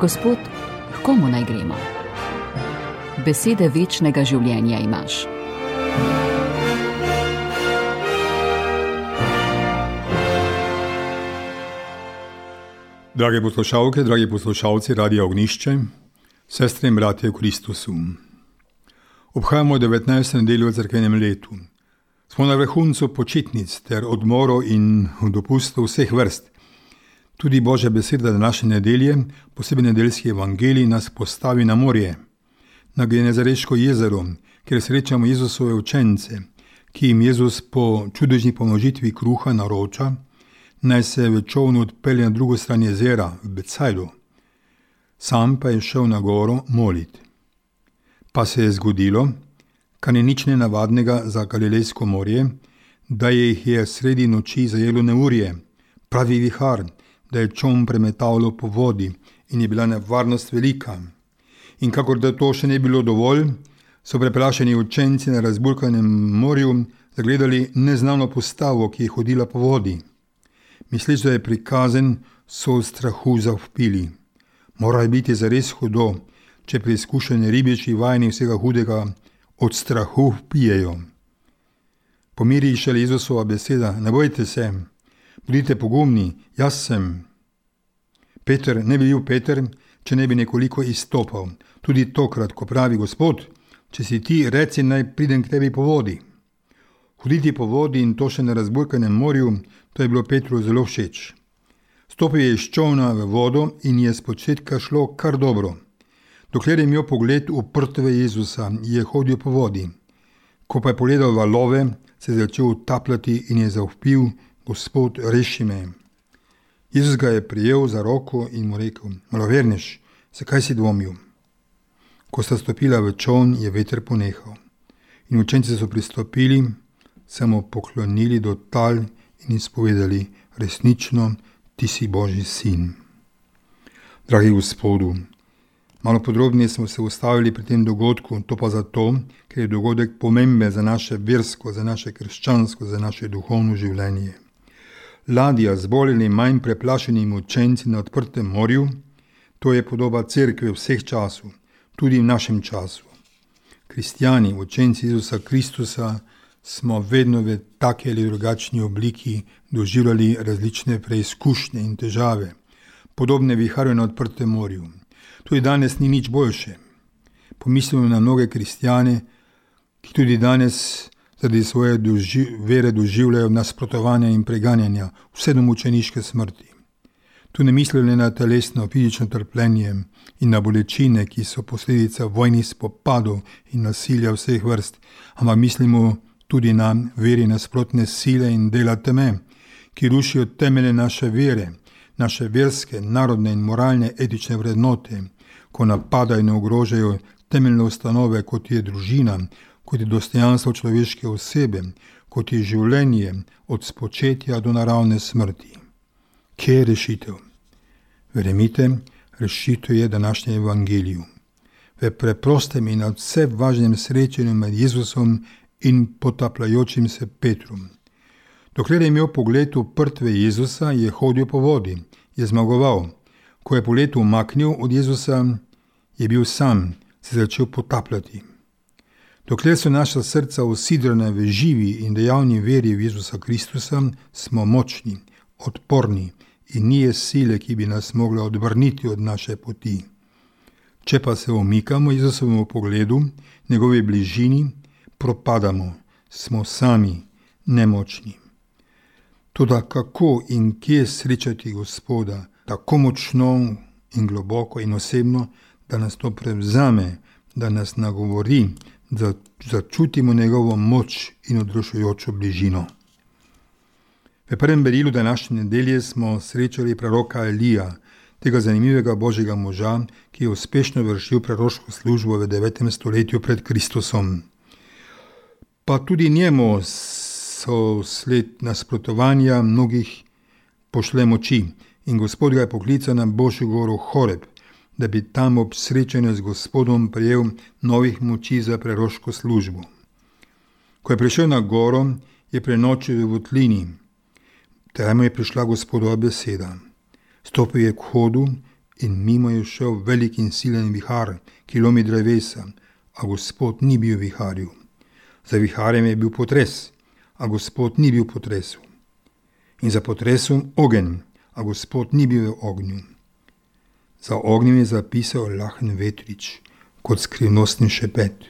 Gospod, h komu naj gremo? Besede večnega življenja imaš. Drage poslušalke, dragi poslušalci Radia Ognjišče, sestre in bratje v Kristusu. Obhajamo 19. nedeljo v cerkvenem letu. Smo na vrhuncu počitnic ter odmorov in dopustov vseh vrst. Tudi Božja beseda današnje nedelje, posebej nedeljski evangelij, nas postavi na morje, na Genezareško jezero, kjer srečamo Jezusove učence, ki jim Jezus po čudežni pomnožitvi kruha naroča, naj se v čolnu odpelje na drugo stran jezera, v Becajdu. Sam pa je šel na goro molit. Pa se je zgodilo, kar ni nič nenavadnega za Galilejsko morje, da jih je sredi noči zajelo neurje, pravi vihar, da je čoln premetavalo po vodi in je bila nevarnost velika. In kakor da to še ne bilo dovolj, so preplašeni učenci na razburkanem morju zagledali neznano postavo, ki je hodila po vodi. Misleč, da je prikazen, so v strahu zavpili. Mora biti zares hudo, če preizkušeni ribiči vajeni vsega hudega od strahu vpijejo. Pomiri šele Jezusova beseda, ne bojte se, bodite pogumni, jaz sem. Peter ne bi bil Peter, če ne bi nekoliko izstopal. Tudi tokrat, ko pravi Gospod, če si ti, reci, naj pridem k tebi po vodi. Hoditi po vodi in to še na razburkanem morju, to je bilo Petru zelo všeč. Stopil je iz čolna v vodo in je spočetka šlo kar dobro. Dokler je imel pogled uprtve Jezusa, je hodil po vodi. Ko pa je pogledal valove, se je začel utapljati in je zavpil: Gospod, reši me. Jezus ga je prijel za roko in mu rekel: Malovernež, zakaj si dvomil? Ko sta stopila v čoln, je veter ponehal. In učenci so pristopili, se mu poklonili do tal in izpovedali: resnično, ti si Božji sin. Dragi Gospodu, malo podrobneje smo se ustavili pri tem dogodku, to pa zato, ker je dogodek pomemben za naše versko, za naše krščansko, za naše duhovno življenje. Ladja z bolj ali manj preplašenimi učenci na odprtem morju, to je podoba cerkve vseh časov, tudi v našem času. Kristjani, učenci Jezusa Kristusa, smo vedno v taki ali drugačni obliki doživljali različne preizkušnje in težave, podobne viharju na odprtem morju. Tudi danes ni nič boljše. Pomislimo na mnoge kristjane, ki tudi danes zaradi svoje vere doživljajo nasprotovanja in preganjanja, vse do mučeniške smrti. Tu ne mislijo le na telesno, fizično trpljenje in na bolečine, ki so posledica vojnih spopadov in nasilja vseh vrst, ampak mislimo tudi na veri nasprotne sile in dela teme, ki rušijo temelje naše vere, naše verske, narodne in moralne etične vrednote, ko napadajo in ogrožajo temeljne ustanove, kot je družina, kot je dostojanstvo človeške osebe, kot je življenje od spočetja do naravne smrti. Kje je rešitev? Verjemite, rešitev je današnje evangeliju. V preprostem in nadvse važnem srečanju med Jezusom in potapljajočim se Petrom. Dokler je imel pogled uprtve Jezusa, je hodil po vodi, je zmagoval. Ko je pogled umaknil od Jezusa, je bil sam, se začel potapljati. Dokler so naša srca usidrana v živi in dejavni veri v Jezusa Kristusa, smo močni, odporni in ni je sile, ki bi nas mogla odvrniti od naše poti. Če pa se omikamo Jezusovemu pogledu, njegovi bližini, propadamo, smo sami, nemočni. Toda kako in kje srečati Gospoda, tako močno in globoko in osebno, da nas to prevzame, da nas nagovori, da začutimo njegovo moč in odrešujočo bližino. V prvem berilu današnje nedelje smo srečali proroka Elija, tega zanimivega Božjega moža, ki je uspešno vršil proroško službo v 9. stoletju pred Kristusom. Pa tudi njemu so sled nasprotovanja mnogih pošle moči in Gospod ga je poklical na Božjo goro Horeb, da bi tam ob srečanju z Gospodom prejel novih moči za proroško službo. Ko je prišel na goro, je prenočil v votlini. Tam je prišla Gospodova beseda. Stopil je k hodu in mimo je šel velik in silen vihar, ki lomi drevesa, a Gospod ni bil v viharju. Za viharjem je bil potres, a Gospod ni bil v potresu. In za potresom ogenj, a Gospod ni bil v ognju. Za ognjem je zapisal lahen vetrič, kot skrivnostni šepet.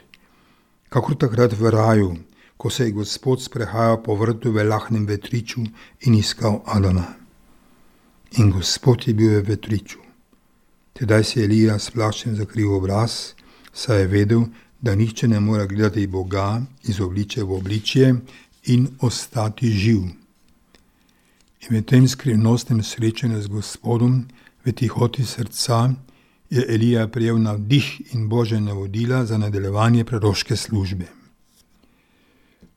Kakor takrat v raju, ko se je Gospod sprehajal po vrtu v lahnem vetriču in iskal Adama. In Gospod je bil v vetriču. Tedaj se je Elija s plaščem zakril obraz, saj je vedel, da nihče ne more gledati Boga iz obličja v obličje in ostati živ. In v tem skrivnostnem srečanju z Gospodom, v tihoti srca, je Elija prejel navdih in Božje navodila za nadaljevanje proroške službe.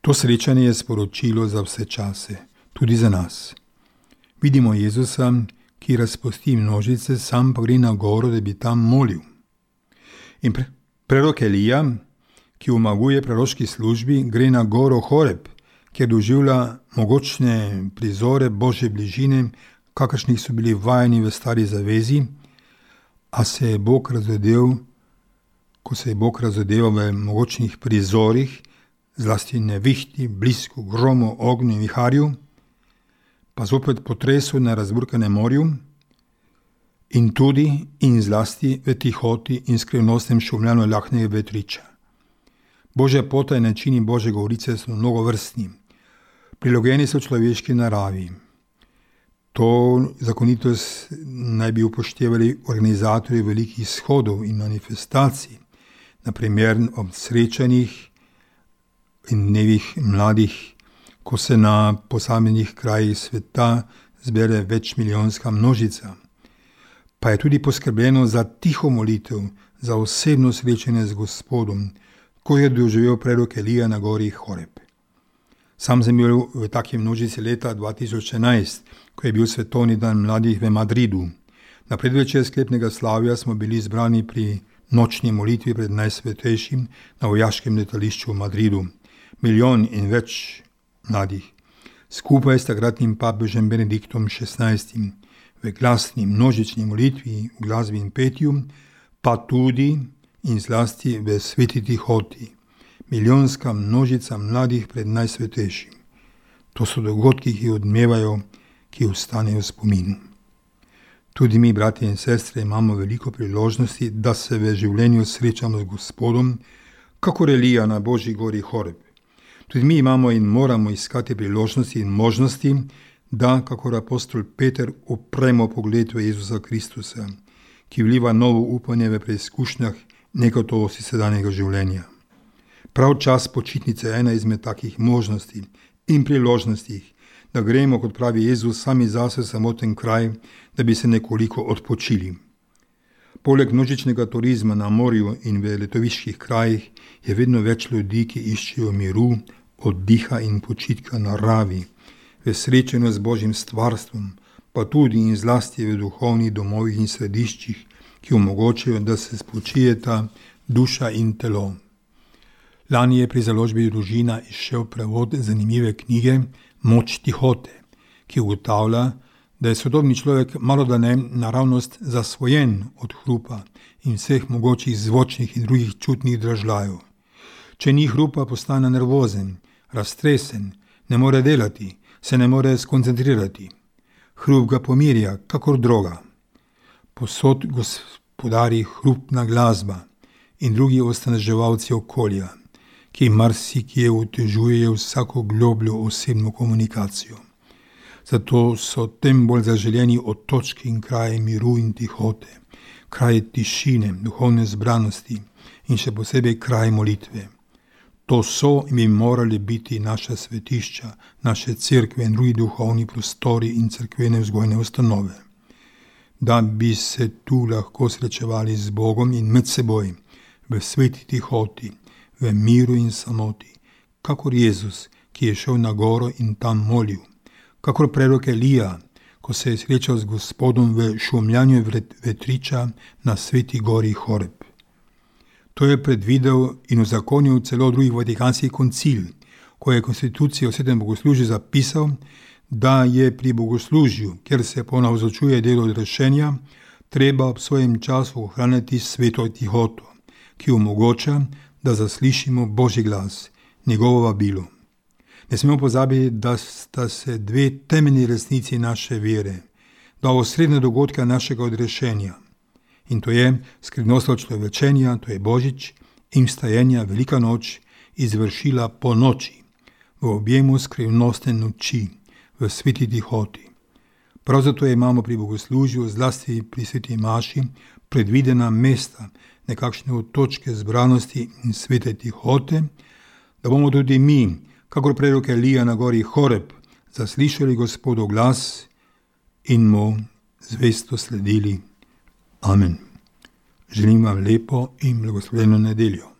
To srečanje je sporočilo za vse čase, tudi za nas. Vidimo Jezusa, ki razpusti množice, sam pa gre na goro, da bi tam molil. In prorok Elija, ki omaguje proroški službi, gre na goro Horeb, kjer doživlja mogočne prizore Božje bližine, kakršnih so bili vajeni v stari zavezi, a se je Bog razodel, ko se je Bog razodeval v mogočnih prizorih, zlasti nevihti, blisku, gromu, ognju in viharju, pa zopet potresu na razburkanem morju in tudi in zlasti v tihoti in skrivnostnem šumljanju lahnega vetriča. Božja pota in načini Božje govorice so mnogovrstni, prilagojeni so človeški naravi. To zakonitost naj bi upoštevali organizatorji velikih shodov in manifestacij, naprimer ob srečanjih in dnevih mladih, ko se na posameznih krajih sveta zbere večmilijonska množica. Pa je tudi poskrbljeno za tiho molitev, za osebno srečanje z Gospodom, ko je doživel prorok Elija na gori Horeb. Sam sem bil v taki množici leta 2011, ko je bil svetovni dan mladih v Madridu. Na predvečer sklepnega slavja smo bili zbrani pri nočni molitvi pred Najsvetejšim na vojaškem letališču v Madridu. 1 milijon in več mladih, skupaj s takratnim papežem Benediktom XVI, v glasni množični molitvi, v glasbi in petju, pa tudi in zlasti v sveti tihoti. Milijonska množica mladih pred Najsvetejšim. To so dogodki, ki odmevajo, ki ostanejo v spominu. Tudi mi, bratje in sestre, imamo veliko priložnosti, da se v življenju srečamo z Gospodom, kakor Elija na Božji gori Horeb. Tudi mi imamo in moramo iskati priložnosti in možnosti, da, kakor apostol Peter, upremo pogled v Jezusa Kristusa, ki vliva novo upanje v preizkušnjah negotovosti sedanjega življenja. Prav čas počitnice je ena izmed takih možnosti in priložnosti, da gremo, kot pravi Jezus, sami zase v samoten kraj, da bi se nekoliko odpočili. Poleg množičnega turizma na morju in v letoviških krajih je vedno več ljudi, ki iščejo miru, oddiha in počitka na naravi, v srečanju z Božjim stvarstvom, pa tudi in zlasti v duhovnih domovih in središčih, ki omogočajo, da se spočijeta duša in telo. Lani je pri založbi Družina izšel prevod zanimive knjige Moč tihote, ki ugotavlja, da je sodobni človek malodane naravnost zasvojen od hrupa in vseh mogočih zvočnih in drugih čutnih dražljajev. Če ni hrupa, postane nervozen, raztresen, ne more delati, se ne more skoncentrirati. Hrup ga pomirja, kakor droga. Posod gospodari hrupna glasba in drugi ostaneževalci okolja, ki marsikje otežujejo vsako globljo osebno komunikacijo. Zato so tem bolj zaželeni otočki in kraji miru in tihote, kraji tišine, duhovne zbranosti in še posebej kraji molitve. To so in bi morali biti naša svetišča, naše cerkve in drugi duhovni prostori in cerkvene vzgojne ustanove. Da bi se tu lahko srečevali z Bogom in med seboj, v sveti tihoti, v miru in samoti, kakor Jezus, ki je šel na goro in tam molil, kakor prorok Elija, ko se je srečal z Gospodom v šumljanju vetriča na sveti gori Horeb. To je predvidel in uzakonil celo drugi Vatikanski koncil, ko je konstitucijo o svetem bogoslužju zapisal, da je pri bogoslužju, kjer se ponavzočuje delo odrešenja, treba ob svojem času ohranjati sveto tihoto, ki omogoča, da zaslišimo Božji glas, njegovo vabilo. Ne smemo pozabiti, da sta se dve temeljni resnici naše vere, dva osrednja dogodka našega odrešenja. In to je skrivnostno človečenja, to je Božič, in vstajenja Velika noč izvršila po noči, v objemu skrivnostne noči, v sveti tihoti. Prav zato imamo pri bogoslužju, zlasti pri sveti maši, predvidena mesta, nekakšne točke zbranosti in svete tihote, da bomo tudi mi, kakor prerok Elija na gori Horeb, zaslišali Gospodov glas in mu zvesto sledili. Amen. Želim vam lepo in blagoslovljeno nedeljo.